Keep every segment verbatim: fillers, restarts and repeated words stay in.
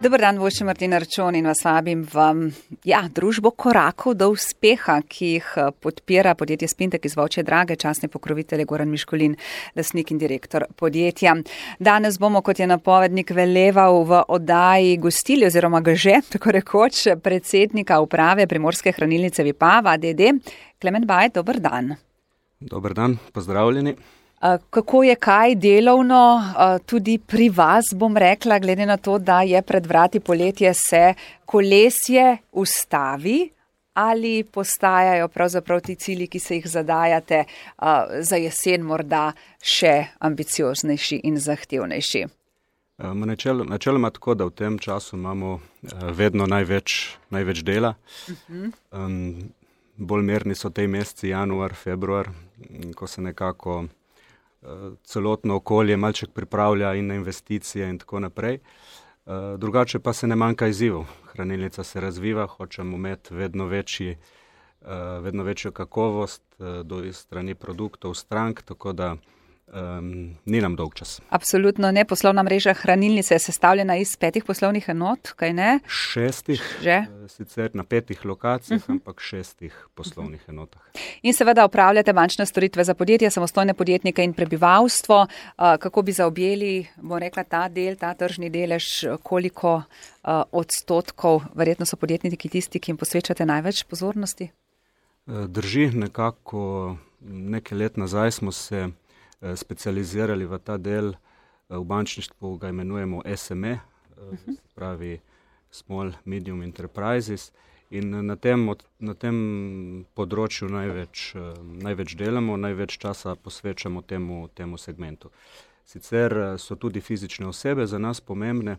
Dober dan, vošče Martina Arčon in vas vabim v ja, družbo korakov do uspeha, ki jih podpira podjetje Spintek iz Volčje Drage, častni pokrovitelj Goran Miškolin, lastnik in direktor podjetja. Danes bomo, kot je napovednik veleval, v oddaji gostili oziroma ga že, tako rekoč, predsednika uprave Primorske hranilnice Vipava, d. d. Klemen Bajt, dober dan. Dober dan, pozdravljeni. Kako je kaj delovno tudi pri vas, bom rekla, glede na to, da je pred vrati poletje, se kolesje ustavi ali postajajo pravzaprav ti cilji, ki se jih zadajate za jesen morda še ambicioznejši in zahtevnejši? Načel, načeloma tako, da v tem času imamo vedno največ, največ dela. Uh-huh. Um, bolj merni so tej meseci januar, februar, ko se nekako celotno okolje malček pripravlja in na investicije in tako naprej. Drugače pa se ne manjka izzivov. Hranilnica se razviva, hočemo imeti vedno večji, vedno večjo kakovost do strani produktov, strank, tako da um, ni nam dolg čas. Absolutno ne. Poslovna mreža hranilnice je sestavljena iz petih poslovnih enot, kaj ne? Šestih, Že? sicer na petih lokacijah, uh-huh. ampak šestih poslovnih uh-huh. enotah. In seveda upravljate bančne storitve za podjetja, samostojne podjetnike in prebivalstvo. Kako bi zaobjeli, bom rekla, ta del, ta tržni delež, koliko odstotkov, verjetno so podjetniki tisti, ki jim posvečate največ pozornosti? Drži, nekako nekaj let nazaj smo se specializirali v ta del, v bančništvu ga imenujemo S M E, uh-huh. pravi Small Medium Enterprises, in na tem, na tem področju največ, največ delamo, največ časa posvečamo temu, temu segmentu. Sicer so tudi fizične osebe za nas pomembne,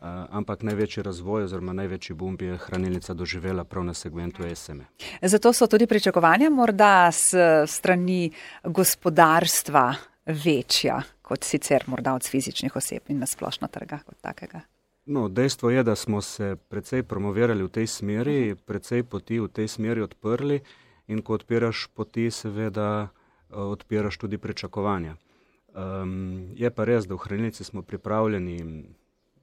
ampak največji razvoj oziroma največji boom je hranilnica doživela prav na segmentu S M E. Zato so tudi pričakovanja morda s strani gospodarstva večja kot sicer morda od fizičnih oseb in na splošno trga kot takega. No, dejstvo je, da smo se precej promovirali v tej smeri, precej poti v tej smeri odprli in ko odpiraš poti, seveda odpiraš tudi pričakovanja. Um, je pa res, da v hranilnici smo pripravljeni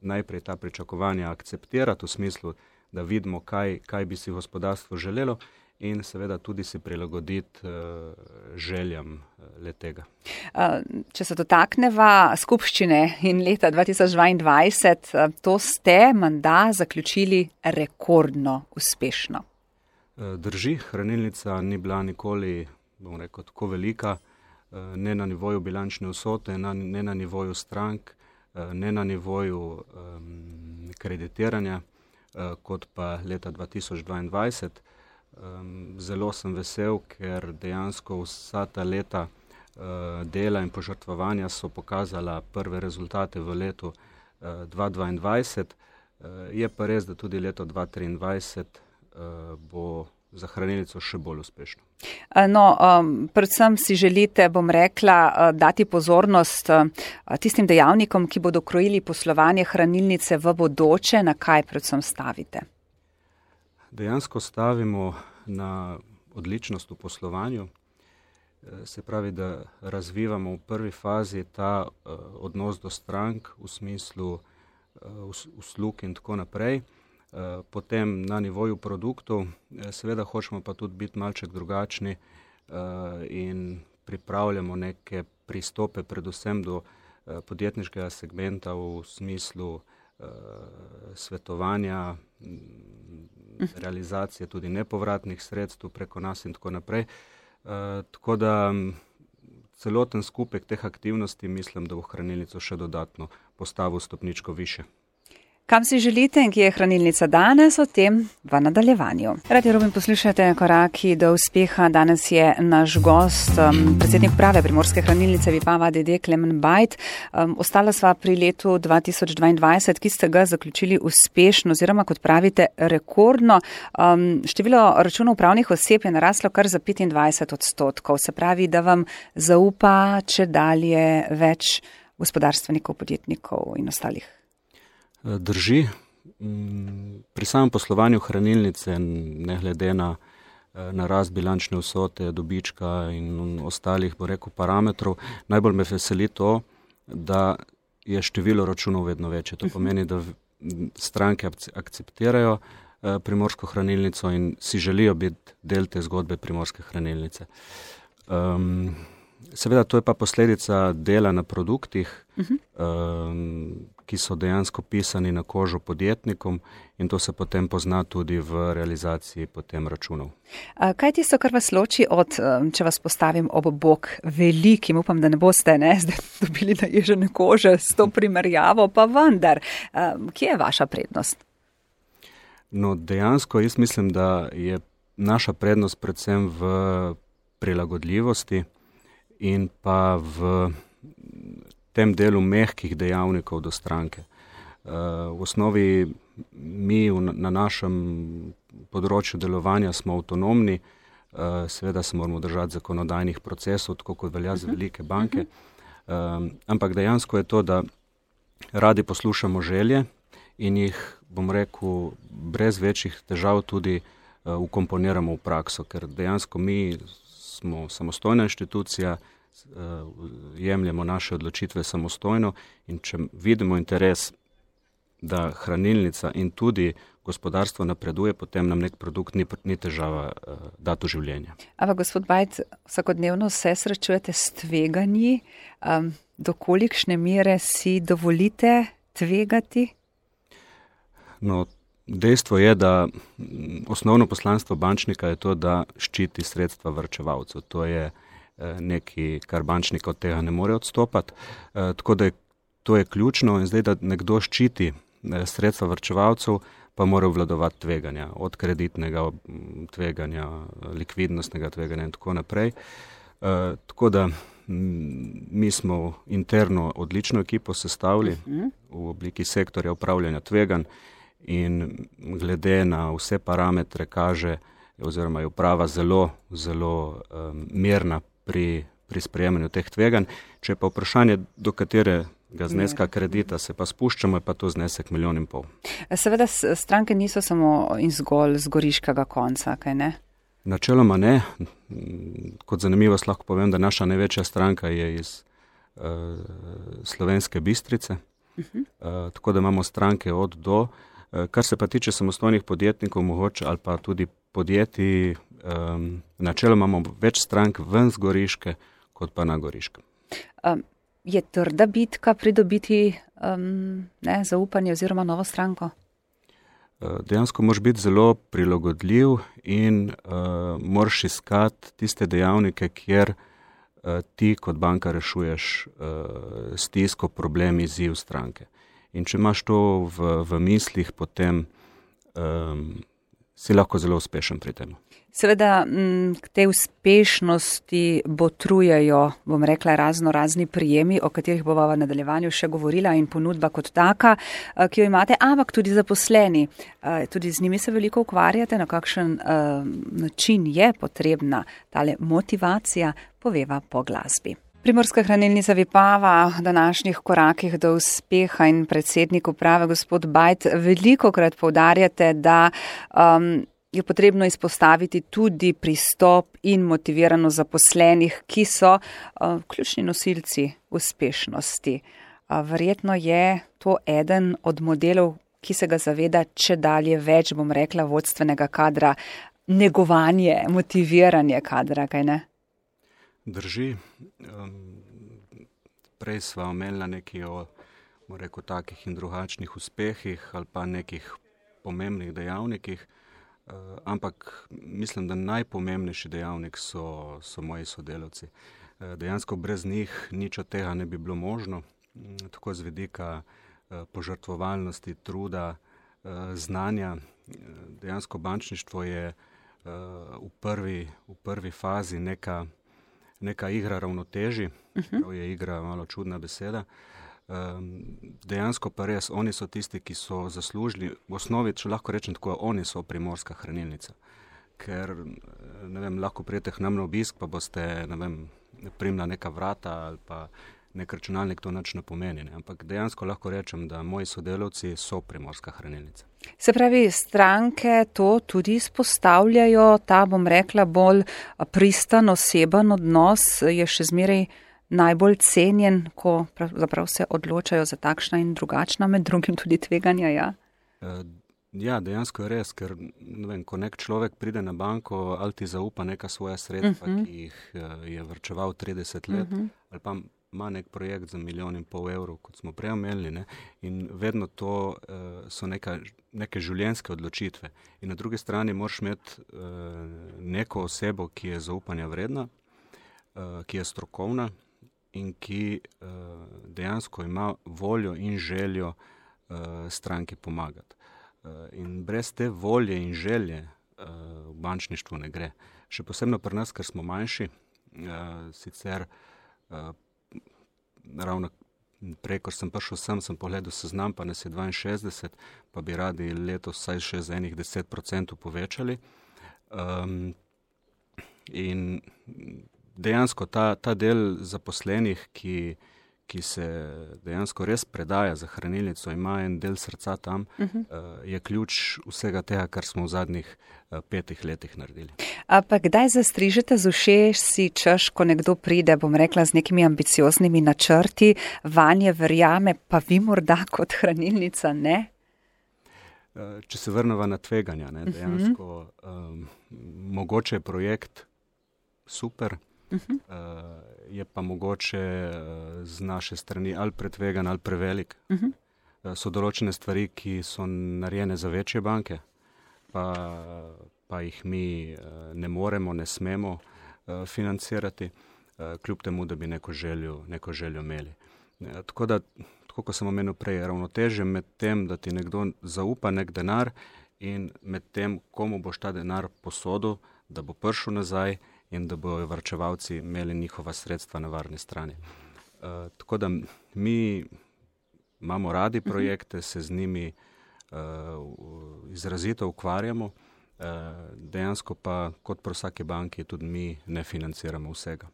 najprej ta pričakovanja akceptirati v smislu, da vidimo, kaj, kaj bi si gospodarstvo želelo in seveda tudi si prilagoditi uh, željam uh, letega. Uh, če se dotakneva skupščine in leta dva tisoč dvaindvajset, uh, to ste menda zaključili rekordno uspešno. Uh, drži, hranilnica ni bila nikoli, bom rekel, tako velika, uh, ne na nivoju bilančne vsote, na, ne na nivoju strank, ne na nivoju um, kreditiranja, uh, kot pa leta dva tisoč dvaindvajset. Um, zelo sem vesel, ker dejansko vsa ta leta uh, dela in požrtvovanja so pokazala prve rezultate v letu uh, dva tisoč dvaindvajset. Uh, je pa res, da tudi leto dva tisoč triindvajset uh, bo za hranilnico še bolj uspešno. No, um, predvsem si želite, bom rekla, dati pozornost tistim dejavnikom, ki bodo krojili poslovanje hranilnice v bodoče, na kaj predvsem stavite? Dejansko stavimo na odličnost v poslovanju. Se pravi, da razvivamo v prvi fazi ta uh, odnos do strank v smislu uh, uslug in tako naprej. Potem na nivoju produktov, seveda hočemo pa tudi biti malček drugačni in pripravljamo neke pristope predvsem do podjetniškega segmenta v smislu svetovanja, realizacije tudi nepovratnih sredstev preko nas in tako naprej. Tako da celoten skupek teh aktivnosti mislim, da bo hranilnico še dodatno postavil stopničko više. Kam si želite in kje je hranilnica danes, o tem v nadaljevanju. Radio Rubin, poslušajte Koraki do uspeha. Danes je naš gost, um, predsednik uprave Primorske hranilnice Vipava, d. d. Klemen Bajt. Um, ostala sva pri letu dva tisoč dvaindvajset, ki ste ga zaključili uspešno oziroma, kot pravite, rekordno. Um, število računov pravnih oseb je naraslo kar za petindvajset odstotkov. Se pravi, da vam zaupa če dalje več gospodarstvenikov, podjetnikov in ostalih. Drži. Pri samem poslovanju hranilnice, ne glede na, na rast bilančne vsote, dobička in ostalih, bo rekel, parametrov, najbolj me veseli to, da je število računov vedno večje. To pomeni, da stranke akceptirajo Primorsko hranilnico in si želijo biti del te zgodbe Primorske hranilnice. Um, seveda, to je pa posledica dela na produktih, uh-huh. um, ki so dejansko pisani na kožo podjetnikom in to se potem pozna tudi v realizaciji potem računov. Kaj je tisto, kar vas loči od, če vas postavim ob bok velikim, upam, da ne boste ne, zdaj dobili naježene kože s to primerjavo, pa vendar, kje je vaša prednost? No, dejansko jaz mislim, da je naša prednost predvsem v prilagodljivosti in pa v tem delu mehkih dejavnikov do stranke. V osnovi mi na našem področju delovanja smo avtonomni, seveda se moramo držati zakonodajnih procesov, tako kot velja za velike banke, ampak dejansko je to, da radi poslušamo želje in jih, bom rekel, brez večjih težav tudi ukomponiramo v prakso, ker dejansko mi smo samostojna inštitucija, jemljemo naše odločitve samostojno in če vidimo interes, da hranilnica in tudi gospodarstvo napreduje, potem nam nek produkt ni, ni težava dati v življenje. Ampak gospod Bajt, vsakodnevno se srečujete s tveganji, um, do kolikšne mere si dovolite tvegati? No, dejstvo je, da osnovno poslanstvo bančnika je to, da ščiti sredstva varčevalcev. To je nekaj, kar bančnika od tega ne more odstopati. E, tako da je, to je ključno in zdaj, da nekdo ščiti sredstva varčevalcev, pa mora obvladovati tveganja, od kreditnega tveganja, likvidnostnega tveganja in tako naprej. E, tako da mi smo interno odlično ekipo sestavili v obliki sektorja upravljanja tveganj in glede na vse parametre kaže, oziroma je uprava zelo, zelo um, mirna pri, pri sprejemanju teh tveganj. Če pa vprašanje, do katerega zneska kredita se pa spuščamo, je pa to znesek milijon in pol. Seveda stranke niso samo in zgolj z goriškega konca, kaj ne? Načeloma ne. Kot zanimivost lahko povem, da naša največja stranka je iz uh, Slovenske Bistrice, uh-huh. uh, tako da imamo stranke od do. Kar se pa tiče samostojnih podjetnikov, mogoče ali pa tudi podjetij, um, načeloma imamo več strank ven z Goriške, kot pa na Goriškem. Um, je trda bitka pridobiti um, ne, zaupanje oziroma novo stranko? Dejansko moraš biti zelo prilagodljiv in uh, moraš iskati tiste dejavnike, kjer uh, ti kot banka rešuješ uh, stisko, problem, izziv stranke. In če imaš to v, v mislih, potem um, si lahko zelo uspešen pri tem. Seveda k tej uspešnosti botrujejo, bom rekla, razno razni prijemi, o katerih bova v nadaljevanju še govorila in ponudba kot taka, ki jo imate, ampak tudi zaposleni. Tudi z njimi se veliko ukvarjate, na kakšen način je potrebna tale motivacija, poveva po glasbi. Primorska hranilnica Vipava v današnjih korakih do uspeha in predsednik uprave gospod Bajt velikokrat poudarjate, da um, je potrebno izpostaviti tudi pristop in motiviranost zaposlenih, ki so uh, ključni nosilci uspešnosti. Uh, verjetno je to eden od modelov, ki se ga zaveda, če dalje več, bom rekla, vodstvenega kadra, negovanje, motiviranje kadra, kaj ne? Drži. Prej sva omenila nekaj o, rekel, takih in drugačnih uspehih ali pa nekih pomembnih dejavnikih, ampak mislim, da najpomembnejši dejavnik so, so moji sodelavci. Dejansko brez njih nič od tega ne bi bilo možno, tako z vidika požrtvovalnosti, truda, znanja. Dejansko bančništvo je v prvi, v prvi fazi neka neka igra ravnoteži, uh-huh. je igra malo čudna beseda. Um, dejansko pa res, oni so tisti, ki so zaslužili, v osnovi, če lahko rečem tako, oni so Primorska hranilnica. Ker, ne vem, lahko prijete k nam na obisk, pa boste, ne vem, primla neka vrata ali pa nek računalnik, to nič ne pomeni. Ne? Ampak dejansko lahko rečem, da moji sodelavci so Primorska hranilnica. Se pravi, stranke to tudi izpostavljajo, ta, bom rekla, bolj pristan, oseben odnos je še zmeraj najbolj cenjen, ko pravzaprav se odločajo za takšna in drugačna, med drugim tudi tveganja, ja? Ja, dejansko je res, ker ne vem, ko nek človek pride na banko, ali ti zaupa neka svoja sredstva, uh-huh. ki jih je vrčeval trideset let, uh-huh. ali pa ima nek projekt za milijon in pol evrov, kot smo prej omenili, ne, in vedno to uh, so neka, neke življenjske odločitve. In na drugi strani moraš imeti uh, neko osebo, ki je zaupanja vredna, uh, ki je strokovna in ki uh, dejansko ima voljo in željo uh, stranki pomagati. In brez te volje in želje uh, v bančništvu ne gre. Še posebno pri nas, ker smo manjši, uh, sicer uh, ravno prej, ko sem prišel sem, sem pogledal seznam, pa nas je dvainšestdeset, pa bi radi letos vsaj še z enih deset procentov povečali. Um, in dejansko ta, ta del zaposlenih, ki ki se dejansko res predaja za hranilnico, ima en del srca tam, uh-huh. uh, je ključ vsega tega, kar smo v zadnjih uh, petih letih naredili. A pa kdaj zastrižete z ušesi, češ, ko nekdo pride, bom rekla, z nekimi ambicioznimi načrti, vanje verjame, pa vi morda kot hranilnica ne? Uh, če se vrnemo na tveganja, ne, dejansko uh-huh. um, mogoče je projekt super, uh-huh. uh, je pa mogoče z naše strani ali pretvegan ali prevelik. Uh-huh. So določene stvari, ki so narejene za večje banke, pa, pa jih mi ne moremo, ne smemo uh, financirati, uh, kljub temu, da bi neko željo, neko željo imeli. Uh, tako da, tako kot sem omenil prej, ravnotežje med tem, da ti nekdo zaupa nek denar in med tem, komu boš ta denar posodil, da bo prišel nazaj in da bojo varčevalci imeli njihova sredstva na varni strani. Uh, tako da mi imamo radi projekte, se z njimi uh, izrazito ukvarjamo, uh, dejansko pa kot pri vsaki banki tudi mi ne financiramo vsega.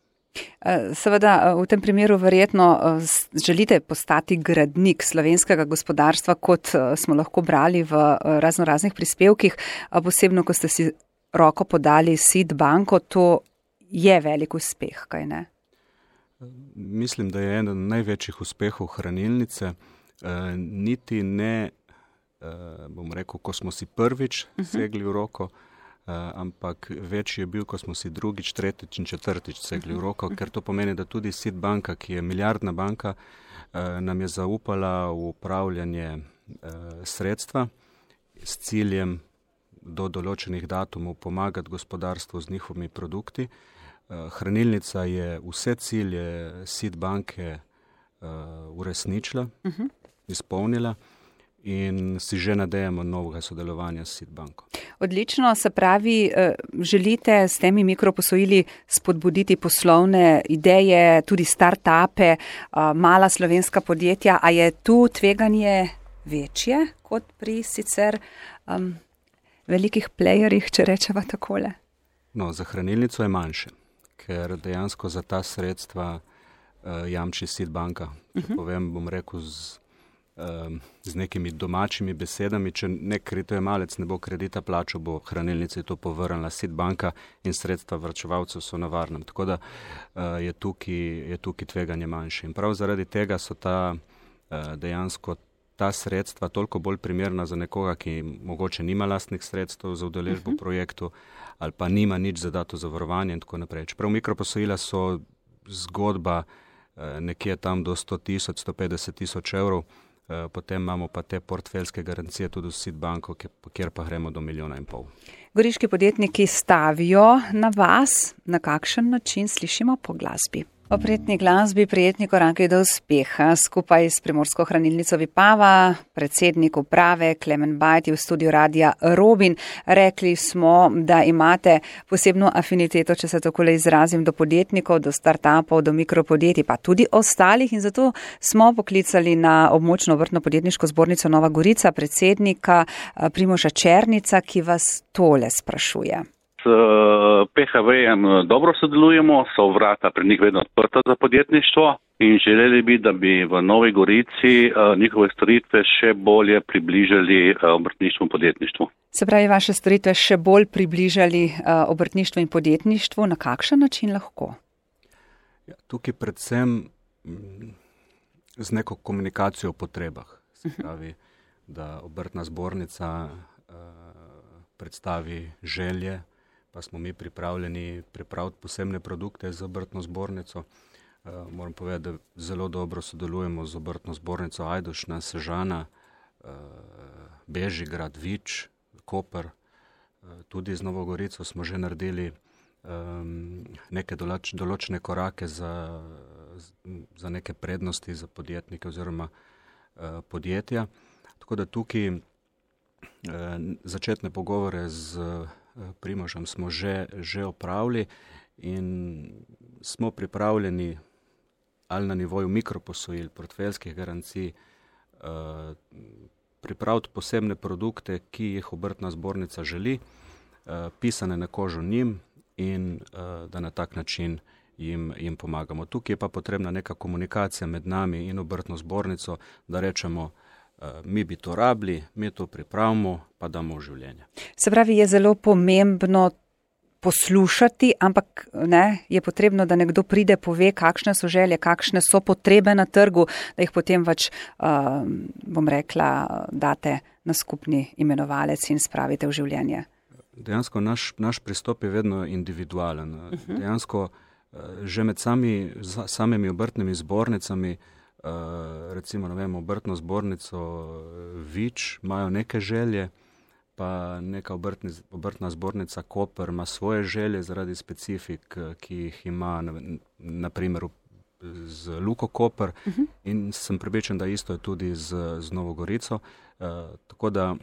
Seveda, v tem primeru verjetno želite postati gradnik slovenskega gospodarstva, kot smo lahko brali v razno raznih prispevkih, posebno, ko ste si roko podali S I D banko, to je velik uspeh, kaj ne? Mislim, da je eden največjih uspehov hranilnice. E, niti ne, e, bom rekel, ko smo si prvič uh-huh. segli v roko, e, ampak večji je bil, ko smo si drugič, tretjič in četrtič segli v roko, uh-huh. ker to pomeni, da tudi S I D banka, ki je milijardna banka, e, nam je zaupala v upravljanje e, sredstva s ciljem do določenih datumov pomagati gospodarstvu z njihovimi produkti. Hranilnica je vse cilje S I D banke uh, uresničila, uh-huh. izpolnila in si že nadejamo novega sodelovanja s S I D banko. Odlično, se pravi, želite s temi mikroposojili spodbuditi poslovne ideje, tudi start-upe, mala slovenska podjetja, a je tu tveganje večje kot pri sicer um, velikih playerjih, če rečeva takole? No, za hranilnico je manjše, ker dejansko za ta sredstva uh, jamči S I D banka. Če uh-huh. povem, bom rekel z, um, z nekimi domačimi besedami, če nek kritojemalec ne bo kredita plačal, bo hranilnici to povrnila S I D banka in sredstva varčevalcev so na varnem. Tako da uh, je, tukaj, je tukaj tveganje manjše. In prav zaradi tega so ta uh, dejansko ta sredstva toliko bolj primerna za nekoga, ki mogoče nima lastnih sredstev za udeležbo v uh-huh. projektu ali pa nima nič za dato zavarovanje in tako naprej. Čeprav mikroposojila so zgodba eh, nekje tam do sto tisoč, sto petdeset tisoč evrov, eh, potem imamo pa te portfeljske garancije tudi v S I D banko, kjer pa gremo do milijona in pol. Goriški podjetniki stavijo na vas, na kakšen način slišimo po glasbi? O prijetni glasbi, prijetni koraki do uspeha. Skupaj s Primorsko hranilnico Vipava, predsednik uprave Klemen Bajt v studiu radia Robin. Rekli smo, da imate posebno afiniteto, če se takole izrazim, do podjetnikov, do startupov, do mikropodjetij, pa tudi ostalih. In zato smo poklicali na območno obrtno podjetniško zbornico Nova Gorica, predsednika Primoža Černica, ki vas tole sprašuje. S P H V-jem dobro sodelujemo, so vrata pri njih vedno odprta za podjetništvo in želeli bi, da bi v Novi Gorici njihove storitve še bolje približali obrtništvu in podjetništvu. Se pravi, vaše storitve še bolj približali obrtništvu in podjetništvu, na kakšen način lahko? Ja, tukaj predvsem z neko komunikacijo o potrebah. Se pravi, da obrtna zbornica uh, predstavi želje, pa smo mi pripravljeni pripraviti posebne produkte za obrtno zbornico. Uh, moram povedati, da zelo dobro sodelujemo z obrtno zbornico Ajdovščina, Sežana, uh, Bežigrad, Vič, Koper, uh, tudi z Novo Gorico smo že naredili um, neke določ, določene korake za, za neke prednosti za podjetnike oziroma uh, podjetja. Tako da tukaj uh, začetne pogovore z uh, Primožem smo že, že opravili in smo pripravljeni ali na nivoju mikroposojil, portfeljskih garancij, uh, pripraviti posebne produkte, ki jih obrtna zbornica želi, uh, pisane na kožo njim in uh, da na tak način jim, jim pomagamo. Tukaj je pa potrebna neka komunikacija med nami in obrtno zbornico, da rečemo, uh, mi bi to rabili, mi to pripravimo, pa damo v življenje. Se pravi, je zelo pomembno poslušati, ampak ne, je potrebno, da nekdo pride, pove, kakšne so želje, kakšne so potrebe na trgu, da jih potem več, uh, bom rekla, date na skupni imenovalec in spravite v življenje. Dejansko naš, naš pristop je vedno individualen. Uh-huh. Dejansko že med sami, samimi obrtnimi zbornicami, uh, recimo, ne vem, obrtno zbornico Vič imajo neke želje, pa neka obrtni, obrtna zbornica Koper ima svoje želje zaradi specifik, ki jih ima na, na primer z Luko Koper, uh-huh. in sem prepričan, da isto je tudi z, z Novo Gorico. Uh, tako da uh,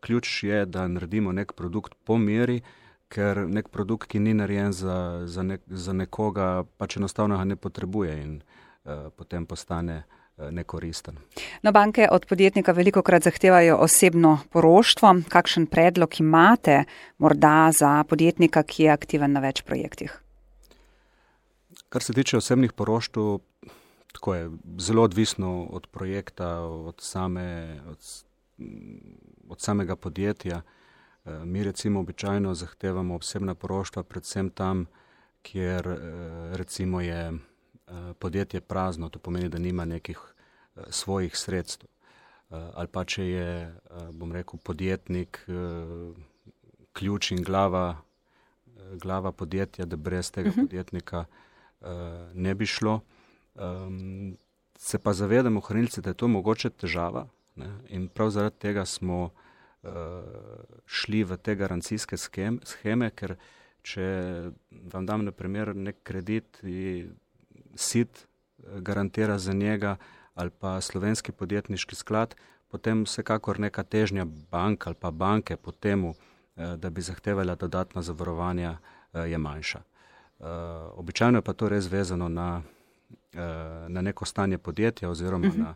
ključ je, da naredimo nek produkt po meri, ker nek produkt, ki ni narejen za, za, nek, za nekoga, pač enostavno ga ne potrebuje in uh, potem postane nekoristen. No, banke od podjetnika velikokrat zahtevajo osebno poroštvo. Kakšen predlog imate morda za podjetnika, ki je aktiven na več projektih? Kar se tiče osebnih poroštev, tako je zelo odvisno od projekta, od, same, od, od samega podjetja. Mi recimo običajno zahtevamo osebna poroštva predvsem tam, kjer recimo je podjetje prazno, to pomeni, da nima nekih svojih sredstev. Ali pa če je, bom rekel, podjetnik ključ in glava, glava podjetja, da brez tega uh-huh. podjetnika ne bi šlo. Se pa zavedamo, hranilci, da je to mogoče težava, ne? In prav zaradi tega smo šli v te garancijske sheme, ker če vam dam na primer nek kredit in sit garantira za njega ali pa slovenski podjetniški sklad, potem vsekakor neka težnja bank ali pa banke po temu, da bi zahtevala dodatna zavarovanja, je manjša. Običajno je pa to res vezano na, na neko stanje podjetja oziroma uh-huh. na,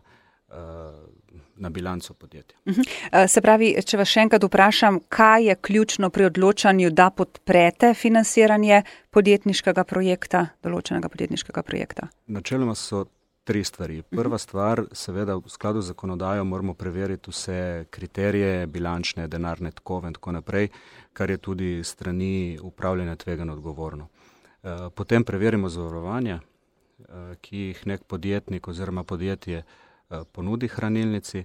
na bilanco podjetja. Uh-huh. Se pravi, če vas še enkrat vprašam, kaj je ključno pri odločanju, da podprete financiranje podjetniškega projekta, določenega podjetniškega projekta? Načeloma so tri stvari. Prva stvar, seveda v skladu z zakonodajo moramo preveriti vse kriterije, bilančne, denarne tokove in tako naprej, kar je tudi strani upravljanja tvegano odgovorno. Potem preverimo zavarovanja, ki jih nek podjetnik oziroma podjetje ponudi hranilnici,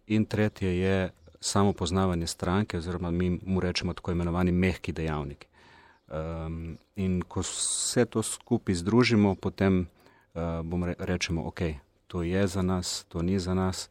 in tretje je samo poznavanje stranke oziroma mi mu rečemo tako imenovani mehki dejavniki. In ko vse to skupaj združimo, potem bom re, rečemo, ok, to je za nas, to ni za nas,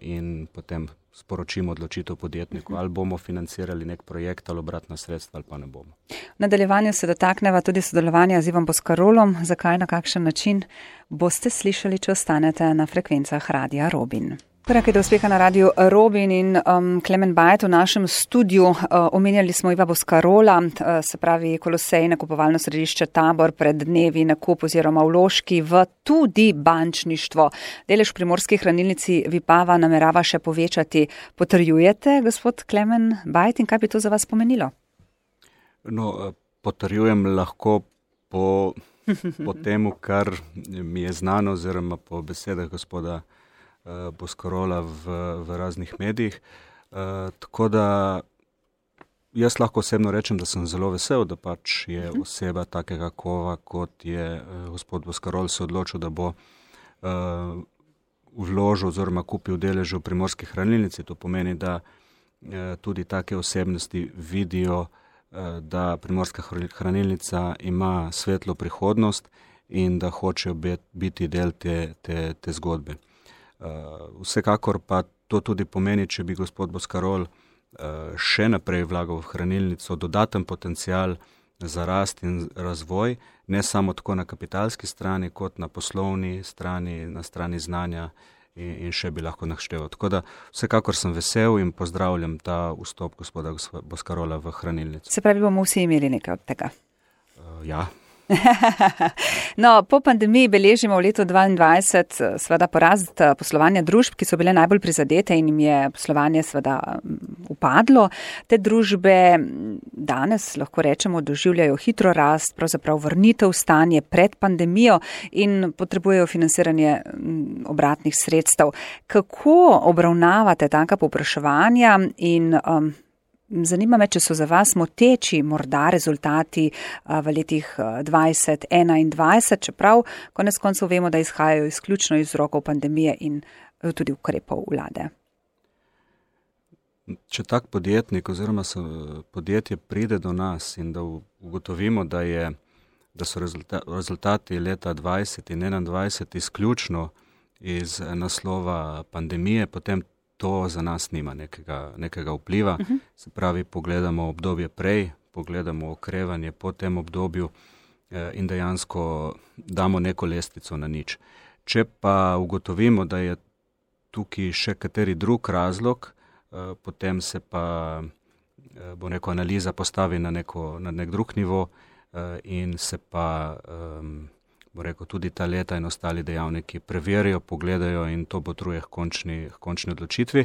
in potem sporočimo odločitev podjetniku, ali bomo financirali nek projekt ali obratna sredstva ali pa ne bomo. V nadaljevanju se dotakneva tudi sodelovanja z Ivom Boscarolom. Zakaj, na kakšen način, boste slišali, če ostanete na frekvencah Radia Robin. Korak do uspeha na Radiu Robin in um, Klemen Bajt v našem studiu. Uh, omenjali smo Iva Boscarola, uh, se pravi Kolosej, nakupovalno središče Tabor, pred dnevi nakup oziroma vložki v tudi bančništvo. Delež v Primorski hranilnici Vipava namerava še povečati. Potrjujete, gospod Klemen Bajt, in kaj bi to za vas pomenilo? No, potrjujem lahko po, po temu, kar mi je znano, oziroma po besedah gospoda Boscarola v, v raznih medijih. Uh, tako da jaz lahko osebno rečem, da sem zelo vesel, da pač je uh-huh. oseba takega kova, kot je uh, gospod Boscarol se odločil, da bo uh, vložil oziroma kupil deleže v Primorski hranilnici. To pomeni, da uh, tudi take osebnosti vidijo, uh, da Primorska hranilnica ima svetlo prihodnost in da hočejo biti del te, te, te zgodbe. Uh, vsekakor pa to tudi pomeni, če bi gospod Boscarol še naprej vlagal v hranilnico dodaten potencial za rast in razvoj, ne samo tako na kapitalski strani, kot na poslovni strani, na strani znanja in, in še bi lahko našteval. Tako da vsekakor sem vesel in pozdravljam ta vstop gospoda Boscarola v hranilnico. Se pravi, bomo vsi imeli nekaj od tega? Uh, ja. No, po pandemiji beležimo v letu dvaindvajset seveda porast poslovanja družb, ki so bile najbolj prizadete in jim je poslovanje seveda upadlo. Te družbe danes, lahko rečemo, doživljajo hitro rast, pravzaprav vrnitev v stanje pred pandemijo in potrebujejo financiranje obratnih sredstev. Kako obravnavate taka povpraševanja in um, zanima me, če so za vas moteči morda rezultati v letih dvajset enaindvajset, čeprav konec koncev vemo, da izhajajo izključno iz rokov pandemije in tudi ukrepov vlade. Če tak podjetnik oziroma podjetje pride do nas in da ugotovimo, da, je, da so rezultati leta dvajset in enaindvajset izključno iz naslova pandemije, potem to za nas nima nekega, nekega vpliva. Uh-huh. Se pravi, pogledamo obdobje prej, pogledamo okrevanje po tem obdobju eh, in dejansko damo neko lestvico na nič. Če pa ugotovimo, da je tukaj še kateri drug razlog, eh, potem se pa eh, bo neko analiza postavi na, neko, na nek drug nivo eh, in se pa eh, bo rekel, tudi ta leta in ostali dejavniki preverijo, pogledajo in to botruje k končni, končni odločitvi.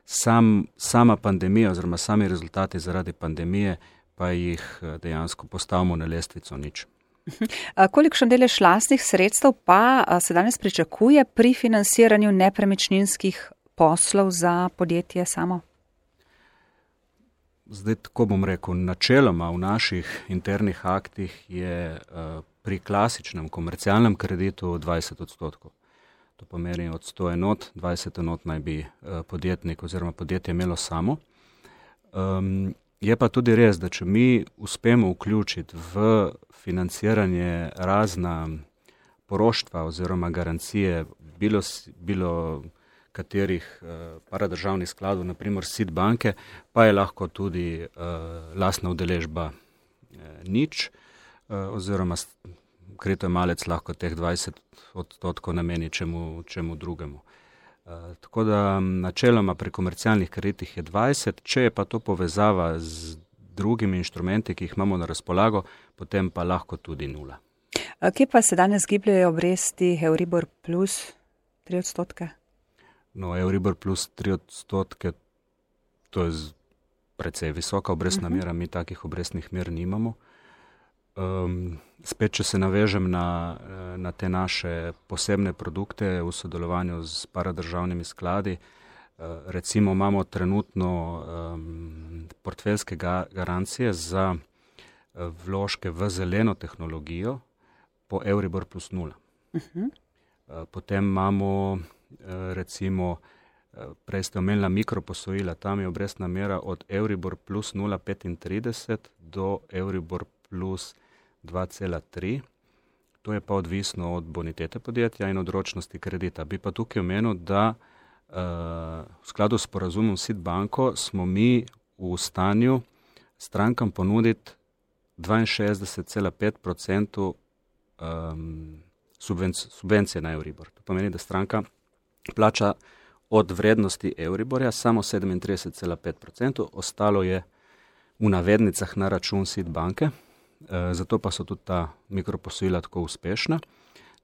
Sam, sama pandemija oziroma sami rezultati zaradi pandemije pa jih dejansko postavimo na lestvico nič. Kolikšen delež lastnih sredstev pa se danes pričakuje pri financiranju nepremičninskih poslov za podjetje samo? Zdaj, tako bom rekel, načeloma v naših internih aktih je uh, pri klasičnem komercialnem kreditu dvajset odstotkov. To pomeni od sto enot, dvajset enot naj bi uh, podjetnik oziroma podjetje imelo samo. Um, je pa tudi res, da če mi uspemo vključiti v financiranje razna poroštva oziroma garancije, bilo, bilo katerih uh, paradržavnih skladov, naprimer S I D banke, pa je lahko tudi uh, lastna udeležba uh, nič, uh, oziroma kritojemalec lahko teh dvajset odstotkov nameni čemu, čemu drugemu. Uh, tako da načeloma pri komercialnih kreditih je dvajset, če je pa to povezava z drugimi inštrumenti, ki jih imamo na razpolago, potem pa lahko tudi nula. Kje pa se danes gibljajo obresti Euribor plus tri odstotke? No, Euribor plus tri odstotke, to je precej visoka obrestna uh-huh. mera, mi takih obrestnih mer nimamo. Um, spet, če se navežem na, na te naše posebne produkte v sodelovanju z paradržavnimi skladi, uh, recimo imamo trenutno um, portfeljske ga, garancije za uh, vložke v zeleno tehnologijo po Euribor plus nula. Uh-huh. Uh, potem imamo recimo, prej ste omenila mikroposojila, tam je obrestna mera od Euribor plus nula celih petintrideset do Euribor plus dva cela tri. To je pa odvisno od bonitete podjetja in od ročnosti kredita. Bi pa tukaj omenil, da uh, v skladu s sporazumom S I D banko smo mi v stanju strankam ponuditi dvainšestdeset celih pet odstotkov um, subvenc- subvencije na Euribor. To pomeni, da stranka plača od vrednosti Euriborja samo sedemintrideset celih pet odstotkov, ostalo je v navednicah na račun S I D banke, e, zato pa so tudi ta mikroposojila tako uspešna.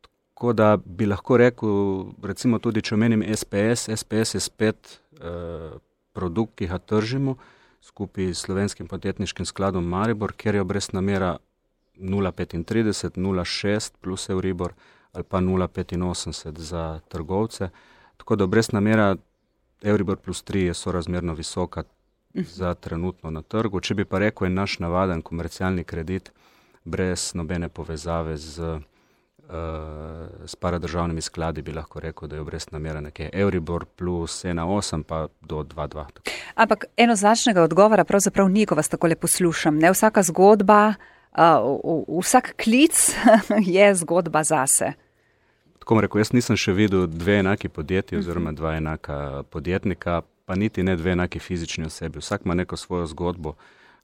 Tako da bi lahko rekel, recimo tudi, če omenim S P S, S P S je spet e, produkt, ki ga tržimo skupaj s Slovenskim podjetniškim skladom Maribor, kjer je obrestna mera nula celih petintrideset, nula celih šest plus Euribor ali pa nula celih petinosemdeset za trgovce. Tako da obrestna mera Euribor plus tri je sorazmerno visoka za trenutno na trgu. Če bi pa rekel, je naš navaden komercialni kredit brez nobene povezave z, uh, s paradržavnimi skladi, bi lahko rekel, da je obrestna mera nekje Euribor plus ena celih osem pa do dva celih dva. Ampak enoznačnega odgovora pravzaprav ni, ko vas takole poslušam. Ne, vsaka zgodba, uh, vsak klic je zgodba zase. Tako bom rekel, jaz nisem še videl dve enaki podjetji oziroma dva enaka podjetnika, pa niti ne dve enaki fizični osebi. Vsak ima neko svojo zgodbo,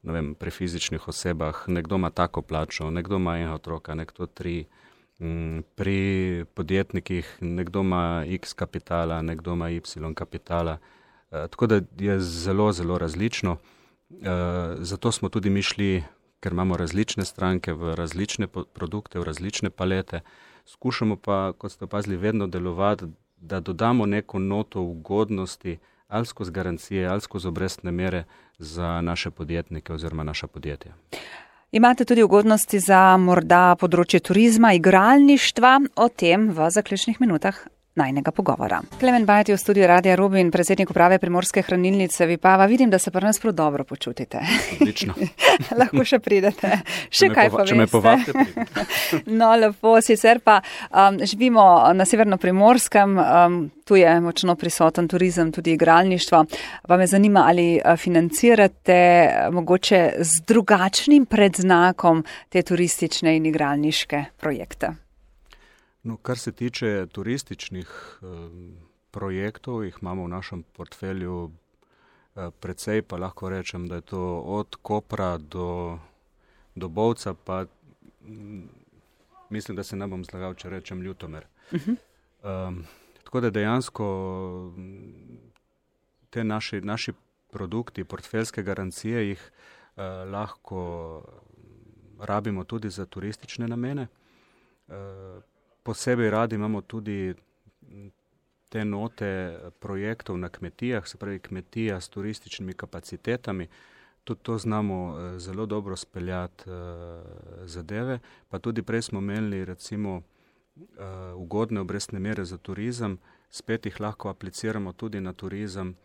ne vem, pri fizičnih osebah. Nekdo ima tako plačo, nekdo ima enega otroka, nekdo tri. Pri podjetnikih nekdo ima X kapitala, nekdo ima Y kapitala. Tako da je zelo, zelo različno. Zato smo tudi mi šli, ker imamo različne stranke v različne produkte, v različne palete. Skušamo pa, kot ste opazili, vedno delovati, da dodamo neko noto ugodnosti ali skozi garancije, ali skozi obrestne mere za naše podjetnike oziroma naša podjetja. Imate tudi ugodnosti za morda področje turizma, igralništva, o tem v zaključnih minutah najnega pogovora. Klemen Bajt je v studiu Radia Rubin, predsednik uprave Primorske hranilnice Vipava. Vidim, da se pri nas prav dobro počutite. Odlično. Lahko še pridete. Še kaj pa veste. Če me povabite, pridem. No, lepo, sicer pa um, živimo na Severno-Primorskem, um, tu je močno prisoten turizem, tudi igralništvo. Pa me zanima, ali financirate mogoče z drugačnim predznakom te turistične in igralniške projekte? No, kar se tiče turističnih eh, projektov, jih imamo v našem portfelju eh, precej, pa lahko rečem, da je to od Kopra do, do Bovca, pa m, mislim, da se ne bom zlagal, če rečem Ljutomer. Uh-huh. Um, tako da dejansko te naši, naši produkti, portfeljske garancije, jih eh, lahko rabimo tudi za turistične namene. Eh, Posebej radi imamo tudi te note projektov na kmetijah, se pravi kmetija s turističnimi kapacitetami. Tudi to znamo zelo dobro speljati uh, zadeve. Pa tudi prej smo imeli recimo uh, ugodne obrestne mere za turizem, spet jih lahko apliciramo tudi na turizem,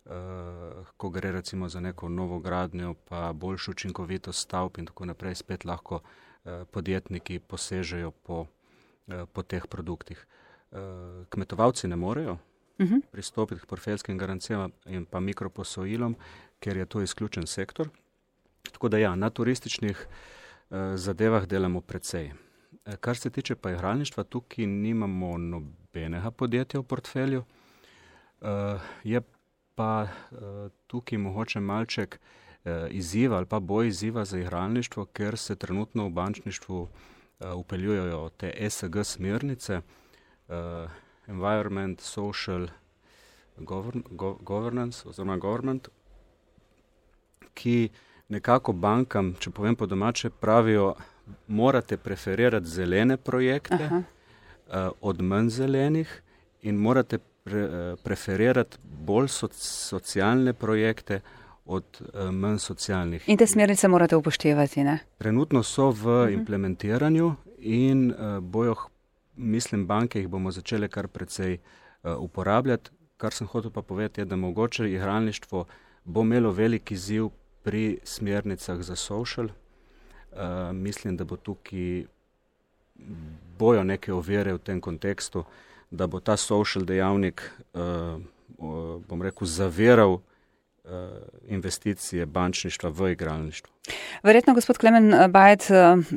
uh, ko gre recimo za neko novo gradnjo, pa boljšo učinkovitost stavb in tako naprej, spet lahko uh, podjetniki posežejo po po teh produktih. Kmetovalci ne morejo uh-huh. pristopiti k portfeljskim garancijam in pa mikroposojilom, ker je to izključen sektor. Tako da ja, na turističnih zadevah delamo precej. Kar se tiče pa igralništva, tukaj nimamo nobenega podjetja v portfelju. Je pa tukaj mogoče malček izziva ali pa boj izziva za igralništvo, ker se trenutno v bančništvu upeljujejo te E S G smernice, uh, Environment, Social govern, go, Governance oziroma Government, ki nekako bankam, če povem po domače, pravijo, morate preferirati zelene projekte uh, od manj zelenih in morate pre, uh, preferirati bolj soc, socialne projekte od uh, manj socialnih. In te smernice morate upoštevati, ne? Trenutno so v uh-huh. implementiranju in uh, bojo, mislim, banke jih bomo začele kar precej uh, uporabljati. Kar sem hotel pa povedati je, da mogoče igralništvo bo imelo veliki izziv pri smernicah za social. Uh, mislim, da bo tukaj bojo neke ovire v tem kontekstu, da bo ta social dejavnik, uh, uh, bom rekel, zaviral investicije bančništva v igralništvo. Verjetno, gospod Klemen Bajt,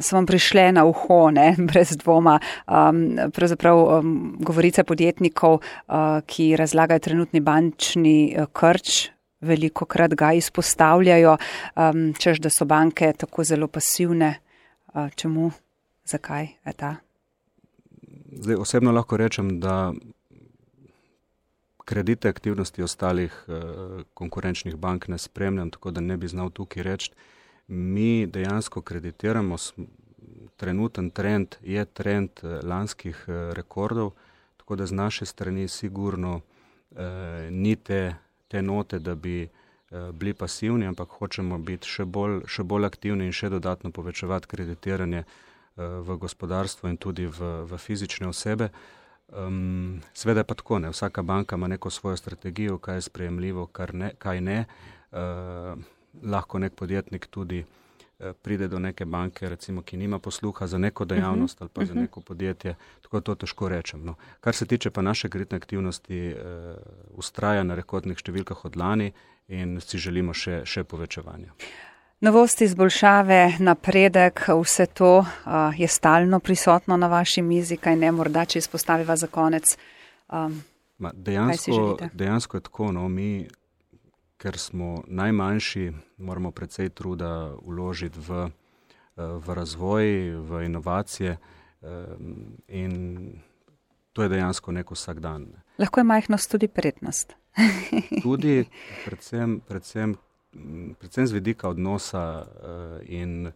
so vam prišle na uho, ne, brez dvoma, um, pravzaprav um, govorice podjetnikov, uh, ki razlagajo trenutni bančni uh, krč, veliko krat ga izpostavljajo, um, češ, da so banke tako zelo pasivne. Uh, čemu? Zakaj je ta? Zdaj, osebno lahko rečem, da kredite aktivnosti ostalih eh, konkurenčnih bank ne spremljam, tako da ne bi znal tukaj reči. Mi dejansko kreditiramo, trenuten trend je trend eh, lanskih eh, rekordov, tako da z naše strani sigurno eh, ni te, te note, da bi eh, bili pasivni, ampak hočemo biti še bolj, še bolj aktivni in še dodatno povečevati kreditiranje eh, v gospodarstvo in tudi v, v fizične osebe. Um, Sveda je pa tako, ne. Vsaka banka ima neko svojo strategijo, kaj je sprejemljivo, kar ne, kaj ne. lahko nek podjetnik tudi pride do neke banke, recimo, ki nima posluha za neko dejavnost ali pa za neko podjetje, tako to težko rečem. No. Kar se tiče pa naše kreditne aktivnosti, uh, ustraja na rekordnih številkah od lani in si želimo še, še povečevanja. Novosti, izboljšave, napredek, vse to uh, je stalno prisotno na vaši mizi, kaj ne, morda, če izpostaviva za konec. Um, Ma, dejansko, dejansko je tako, no, mi, ker smo najmanjši, moramo precej truda vložiti v, v razvoj, v inovacije in to je dejansko nek vsak dan. Lahko je majhnost tudi prednost. Tudi predvsem, predvsem, predvsem z vidika odnosa in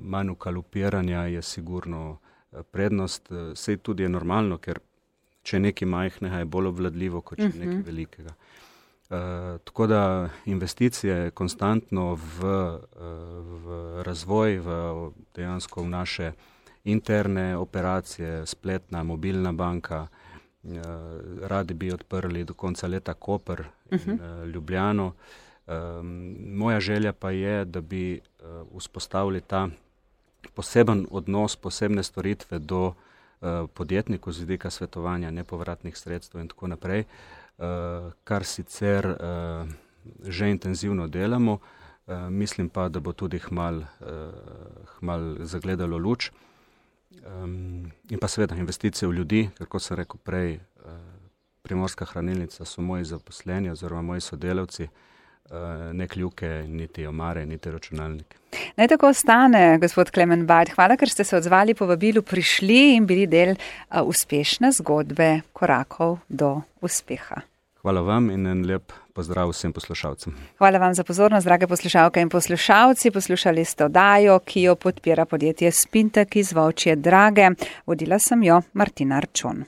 manj ukalupiranja je sigurno prednost. Sej tudi je normalno, ker če nekaj majhnega je bolj obvladljivo, kot če nekaj velikega. Uh, tako da investicije konstantno v, v razvoj, v dejansko v naše interne operacije, spletna, mobilna banka, uh, radi bi odprli do konca leta Koper in uh, Ljubljano. Um, moja želja pa je, da bi uh, vzpostavili ta poseben odnos, posebne storitve do uh, podjetnikov z vidika svetovanja, nepovratnih sredstev in tako naprej. Uh, kar sicer uh, že intenzivno delamo, uh, mislim pa, da bo tudi hmal, uh, hmal zagledalo luč. Um, in pa seveda investicije v ljudi, ker kot sem rekel prej, uh, Primorska hranilnica so moji zaposleni oziroma moji sodelavci, uh, ne kljuke, niti omare, niti računalnike. Naj tako ostane, gospod Klemen Bajd. Hvala, ker ste se odzvali povabilu, prišli in bili del uh, uspešne zgodbe korakov do uspeha. Hvala vam in en lep pozdrav vsem poslušalcem. Hvala vam za pozornost, drage poslušalke in poslušalci. Poslušali ste oddajo, ki jo podpira podjetje Spintek iz Volčje Drage. Vodila sem jo Martina Arčon.